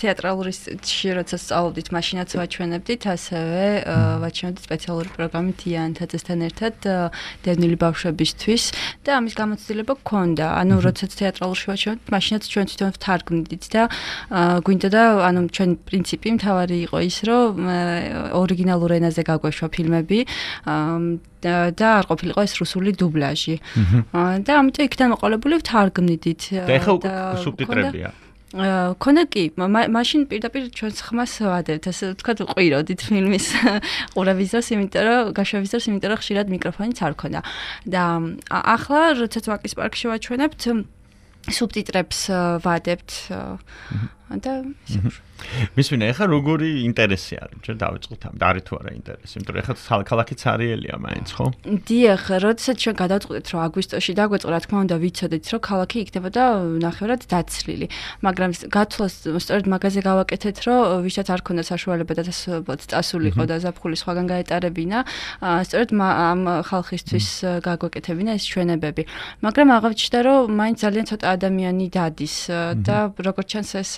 თეატრალური სტილში როცა სწავლობდით, მაშინაც ვაჩვენებდით, ასევე ვაჩვენებდით სპეციალური პროგრამით იანთაძესთან ერთად დევნილი ბავშვებისთვის და ამის გამოცდილება გქონდა. ანუ როდესაც თეატრალურში ვაჩვენებდით, მაშინაც ჩვენ თვითონ ვთარგმნით და გვინდა და ანუ ჩვენ პრინციპი მთავარი იყო ის, რომ ორიგინალურ ენაზე გაგვეშვა ფილმები და არ ყოფილიყო ეს რუსული დუბლაჟი. და ამიტომ იქიდან მოყოლებული ვთარგმნიდით. და ეხლა უკვე სუბტიტრებია. ქონდა კი, მაშინ პირდაპირ ჩვენს ხმას ვადევთ, ასე ვთქვათ, ყვიროდით ფილმის ყურების დროს, იმიტომ რომ გაშვების დროს, იმიტომ რომ ხშირად მიკროფონიც არ ქონდა. და ახლა როდესაც ვაკის პარკში ვაჩვენებთ, სუბტიტრებს ვადებთ და მისვინა ეხლა როგორი ინტერესი არის ჩვენ დავიწყოთ ამ და არის თუ არა ინტერესი იმიტომ რომ ეხლა ქალაქიც არიელია მაინც ხო დიახ როდესაც ჩვენ გადავწყვეტით რომ აგვისტოში დაგვეწყო რა თქმა უნდა ვიცოდით რომ ქალაქი იქნებოდა ნახევრად დაცლილი მაგრამ გათვლას სწორედ მაგაზე გავაკეთეთ რომ ვისაც არ ქონდა საშუალება და წასულიყო და ზაფხული სხვაგან გაეტარებინა სწორედ ამ ხალხისთვის გაგვეკეთებინა ეს ჩვენებები მაგრამ აღავჩნდა რომ მაინც ძალიან ცოტა ადამიანი დადის და როგორც ჩანს ეს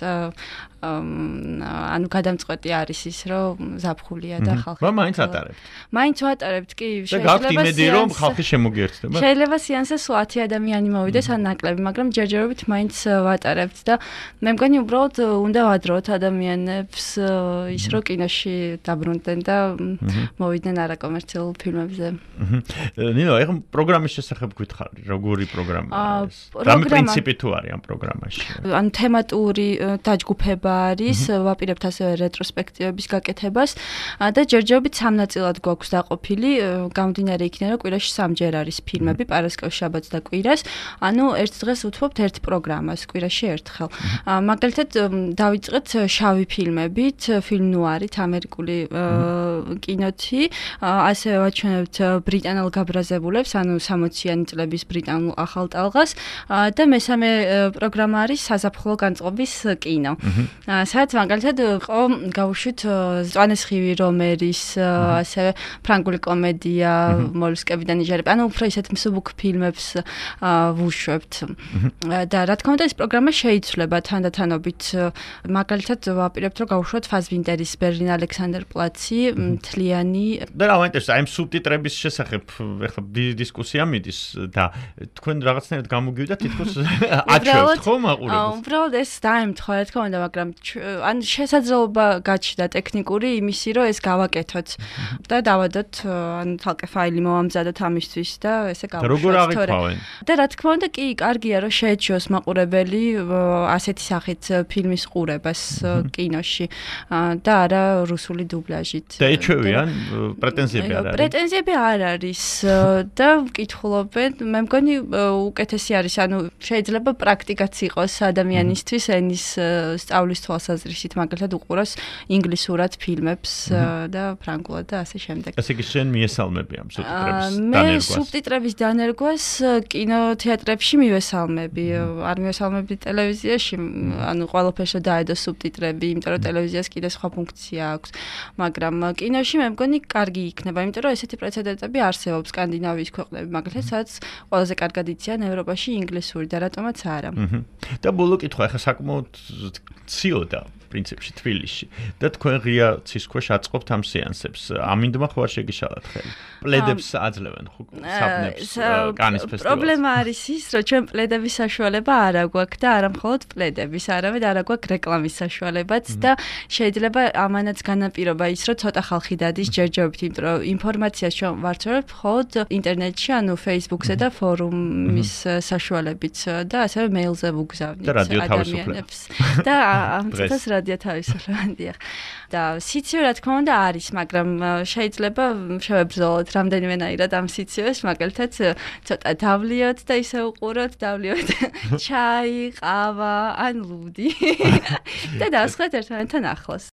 ანუ გადამწყვეტი არის ის რომ ზაფხულია და ხალხი მაინც ატარებთ. მაინც ვატარებთ კი შეიძლება იმედი რომ ხალხი შემოგიერთდება. შეიძლება სეანსზე 10 ადამიანი მოვიდეს ან ნაკლები, მაგრამ ჯერჯერობით მაინც ვატარებთ და მე მგონი უბრალოდ უნდა ვადროთ ადამიანებს ის რომ კინოში დაბრუნდნენ და მოვიდნენ არაკომერციულ ფილმებზე. ნინო, ეხლა პროგრამის შესახებ გითხარი, როგორი პროგრამაა ეს? რამე პრინციპი თუ არის ამ პროგრამაში? ანუ თემატური დაჯგუფება არის, ვაპირებთ ასევე რეტროსპექტივების გაკეთებას და ჯერჯერობით სამ ნაწილად გვაქვს დაყოფილი, გამომდინარე იქიდან რომ კვირაში სამჯერ არის ფილმები, პარასკევს, შაბათს და კვირას. ანუ ერთ დღეს უთმობთ ერთ პროგრამას, კვირაში ერთხელ. მაგალითად დავიწყეთ შავი ფილმებით, ფილმ ნუარით, ამერიკული კინოთი, ასევე ვაჩვენებთ ბრიტანელ გაბრაზებულებს, ანუ 60-იანი წლების ბრიტანულ ახალ ტალღას და მესამე პროგრამა არის საზაფხულო განწყობის კინო. სადაც მაგალითად ყო გავუშვით წვანესხივი რომერის ასევე ფრანგული კომედია მოლუსკებიდან იჯარება ანუ უფრო ისეთ მსუბუქ ფილმებს ვუშვებთ და რა თქმა უნდა ეს პროგრამა შეიცვლება თანდათანობით მაგალითად ვაპირებთ რომ გავუშვოთ ფაზვინტერის ბერლინ ალექსანდერპლაცი მთლიანი და რა მაინტერესებს აი ამ სუბტიტრების შესახებ ეხლა დისკუსია მიდის და თქვენ რაღაცნაირად გამოგივიდა თითქოს აჩვევთ ხო მაყურებელს უბრალოდ ეს დაემთხვა რა თქმა უნდა მაგრამ ან შესაძლებლობა გაჩნდა ტექნიკური იმისი რომ ეს გავაკეთოთ და დავადოთ ან თალკე ფაილი მოვამზადოთ ამისთვის და ესე გავუშვათ როგორ აღიქვავენ და რა თქმა უნდა კი კარგია რომ შეეჩვიოს მაყურებელი ასეთი სახით ფილმის ყურებას კინოში და არა რუსული დუბლაჟით და ეჩვევიან პრეტენზიები არ არის პრეტენზიები არ არის და ვკითხულობენ მე მგონი უკეთესი არის ანუ შეიძლება პრაქტიკაც იყოს ადამიანისთვის ენის სწავლის თვალსაზრისით მაგალითად უყუროს ინგლისურად ფილმებს და ფრანგულად და ასე შემდეგ. ასე იგი შენ მიესალმები ამ სუბტიტრების დანერგვას? მე სუბტიტრების დანერგვას კინოთეატრებში მივესალმები, არ მივესალმები ტელევიზიაში, ანუ ყველაფერში დაედო სუბტიტრები, იმიტომ რომ ტელევიზიას კიდე სხვა ფუნქცია აქვს, მაგრამ კინოში მე მგონი კარგი იქნება, იმიტომ რომ ესეთი პრეცედენტები არსებობს სკანდინავიის ქვეყნები, მაგალითად, სადაც ყველაზე კარგად იციან ევროპაში ინგლისური და რატომაც არა. და ბოლო კითხვა, ახლა საკმაოდ ციოდა პრინციპში თბილისში და თქვენ ღია ცის ქვეშ აწყობთ ამ სეანსებს. ამინდმა ხო არ შეგიშალათ ხელი? პლედებს აძლევენ ხო საბნებს კანის ფესტივალს. პრობლემა არის ის, რომ ჩვენ პლედების საშუალება არ აგვაქვს და არა მხოლოდ პლედების, არამედ არ აგვაქვს რეკლამის საშუალებაც და შეიძლება ამანაც განაპირობა ის, რომ ცოტა ხალხი დადის ჯერჯერობით, იმიტომ რომ ინფორმაციას ჩვენ ვარჩევთ მხოლოდ ინტერნეტში, ანუ Facebook-ზე და ფორუმის საშუალებით და ასევე მეილზე ვუგზავნით ადამიანებს. და ამ წუთას რადიო თავისუფლებადია. და სიცივე რა თქმა უნდა არის, მაგრამ შეიძლება შევებრძოლოთ რამდენიმენაირად ამ სიცივეს, მაგალითად ცოტა დავლიოთ და ისე უყუროთ, დავლიოთ ჩაი, ყავა ან ლუდი და დავსხეთ ერთმანეთთან ახლოს.